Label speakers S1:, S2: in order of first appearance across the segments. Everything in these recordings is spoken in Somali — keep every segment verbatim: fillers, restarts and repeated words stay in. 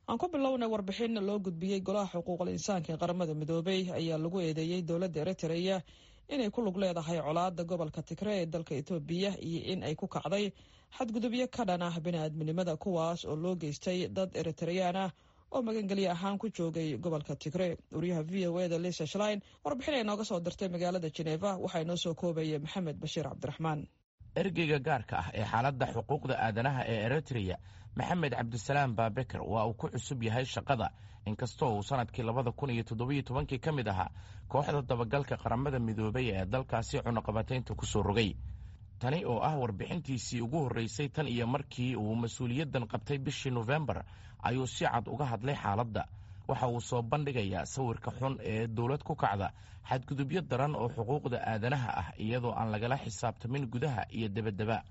S1: Aan ku bilownay warbixin loo gudbiyey Golaha Xuquuqul Insaanka ee Qaramada Midoobay ayaa lagu eedeeyey dowladda Eritrea inay ku lug leedahay colaada gobolka Tigre ee dalka Etoobiya iyo in ay ku kacday xadgudubyo ka dhan ah biniaadminimada, kuwaas oo loo geystay dad Eritreyaan ah oo magangelyo ahaan ku joogay gobolka Tigre. Wariyaha V O E da Lisa Schlein warbixin ay nooga soo dirtay magaalada Geneva waxaa inoo soo koobaya Maxamed Bashiir Cabdiraxmaan.
S2: Ergeyga gaarka ah ee xaaladda xuquuqda aadanaha ee Eritreya, Maxamed Cabdisalaam Baabeker, waa uu ku cusub yahay shaqada, inkastoo uu sanadkii labada kun iyo toddobiyo tobankii ka mid ahaa kooxda dabagalka Qaramada Midoobay ee dalkaasi cunaqabataynta ku soo rogay. Tani oo ah warbixintiisii ugu horreysay tan iyo markii uu mas-uuliyaddan qabtay bishii Nofembar ayuu si cad uga hadlay xaaladda. Waxa uu soo bandhigayaa sawirka xun ee dowlad ku kacda xadgudubyo daran oo xuquuqda aadanaha ah, iyadoo aan lagala xisaabtamin gudaha iyo debaddaba.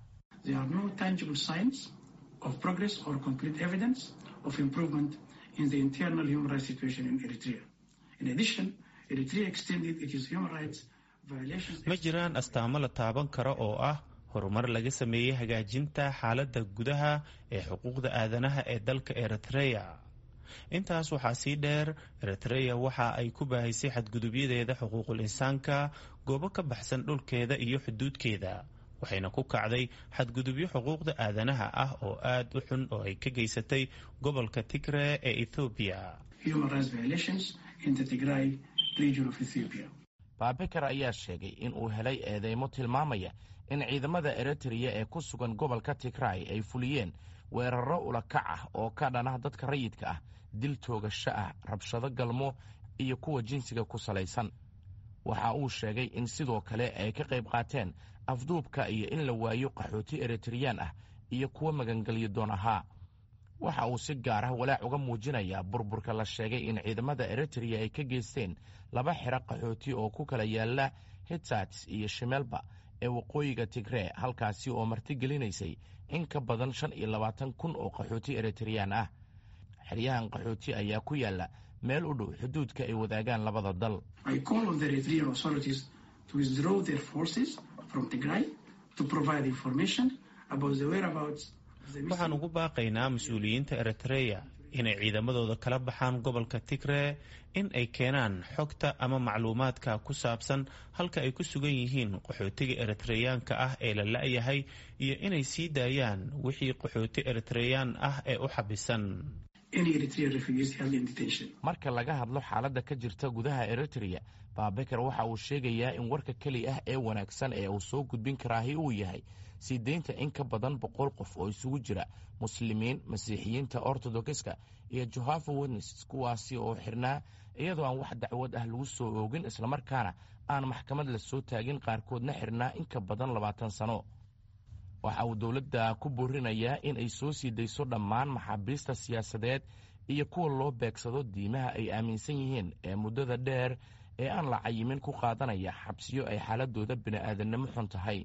S3: Of progress or concrete evidence of improvement in the internal human rights situation in Eritrea. In addition, Eritrea extended its human rights violations.
S4: Ma jiraan astaamo la taaban karo oo ah horumar laga sameeyey hagaajinta xaaladda gudaha ee xuquuqda aadanaha ee dalka Eritrea. Intaas waxaa sii dheer, Eritrea waxa ay ku baahisay xadgudubyadeeda xuquuqul insaanka goobo ka baxsan dhulkeeda iyo xuduudkeeda, waxayna ku kacday xadgudubyo xuquuqda aadanaha ah oo aad u xun oo ay ka geysatay gobolka Tigre ee Ethoobiya.
S3: Human rights violations in the Tigray region of Ethiopia.
S2: Baabeker ayaa sheegay in uu helay eedeymo tilmaamaya in ciidamada Eritreya ee ku sugan gobolka Tigray ay fuliyeen weerarro ulakac ah oo ka dhan ah dadka rayidka ah, dil toogasho ah, rabshado galmo iyo kuwa jinsiga ku salaysan. Waxa uu sheegay in sidoo kale ay ka qayb qaateen afduubka iyo in la waayo qaxooti Eritreyaan ah iyo kuwa magangelyo doon ahaa. Waxa uu si gaar ah walaac uga muujinayaa burburka la sheegay in ciidamada Eritreya ay ka geysteen laba xero qaxooti oo ku kala yaala Hitsats iyo Shimelba ee waqooyiga Tigree, halkaasi oo martigelinaysay in ka badan shan iyo labaatan kun oo qaxooti Eritreyaan ah. Xeryahan qaxooti ayaa ku yaala meel u dhow xuduudka ay wadaagaan labada dal.
S3: I call on the Eritrean authorities to withdraw their forces from Tigray, to provide information about the whereabouts.
S4: Waxaan ugu baaqaynaa mas-uuliyiinta Eritreya inay ciidamadooda kala baxaan gobolka Tigree, in ay keenaan xogta ama macluumaadka ku saabsan halka ay ku sugan yihiin qaxootiga Eritreyaanka ah ee la la-yahay, iyo inay sii daayaan wixii qaxooti Eritreyaan ah ee u xabisan.
S2: Marka laga hadlo xaaladda ka jirta gudaha Eritreya, Baabeker waxa uu sheegayaa in warka keli ah ee wanaagsan ee uu soo gudbin karaahi uu yahay sii deynta in ka badan boqol qof oo isugu jira Muslimiin, Masiixiyiinta Ortodokiska iyo Jehovah Witnesses, kuwaasi oo xirnaa iyadoo aan wax dacwad ah lagu soo oogin, islamarkaana aan maxkamad la soo taagin, qaarkoodna xirnaa in ka badan labaatan sano. Waxa uu dowladda ku boorinayaa in ay soo sii dayso dhammaan maxaabiista siyaasadeed iyo kuwa loo beegsado diimaha ay aaminsan yihiin ee muddada dheer ee aan la cayimin ku qaadanaya xabsiyo ay xaaladooda bini'aadannimo xun tahay.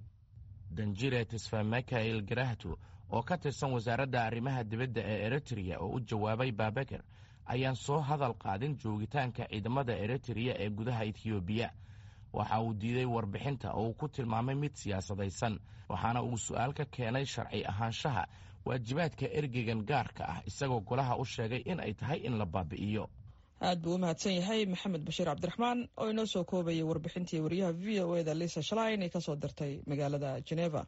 S2: Danjire Tesfamikael Garahto oo ka tirsan Wasaaradda Arrimaha Dibadda ee Eritrea oo u jawaabay Baabeker ayaan soo hadal qaadin joogitaanka ciidamada Eritrea ee gudaha Etiyoobiya. Waxa uu diiday warbixinta oo uu ku tilmaamay mid siyaasadaysan, waxaana uu su'aal ka keenay sharci ahaanshaha waajibaadka ergeygan gaarka ah, isagoo golaha u sheegay in ay tahay in la baabi'iyo.
S1: Aad buu u mahadsan yahay Maxamed Bashiir Cabdiraxmaan oo inoo soo koobayay warbixintii wariyaha V O E da Lisa Schlein ee kasoo dirtay magaalada Geneva.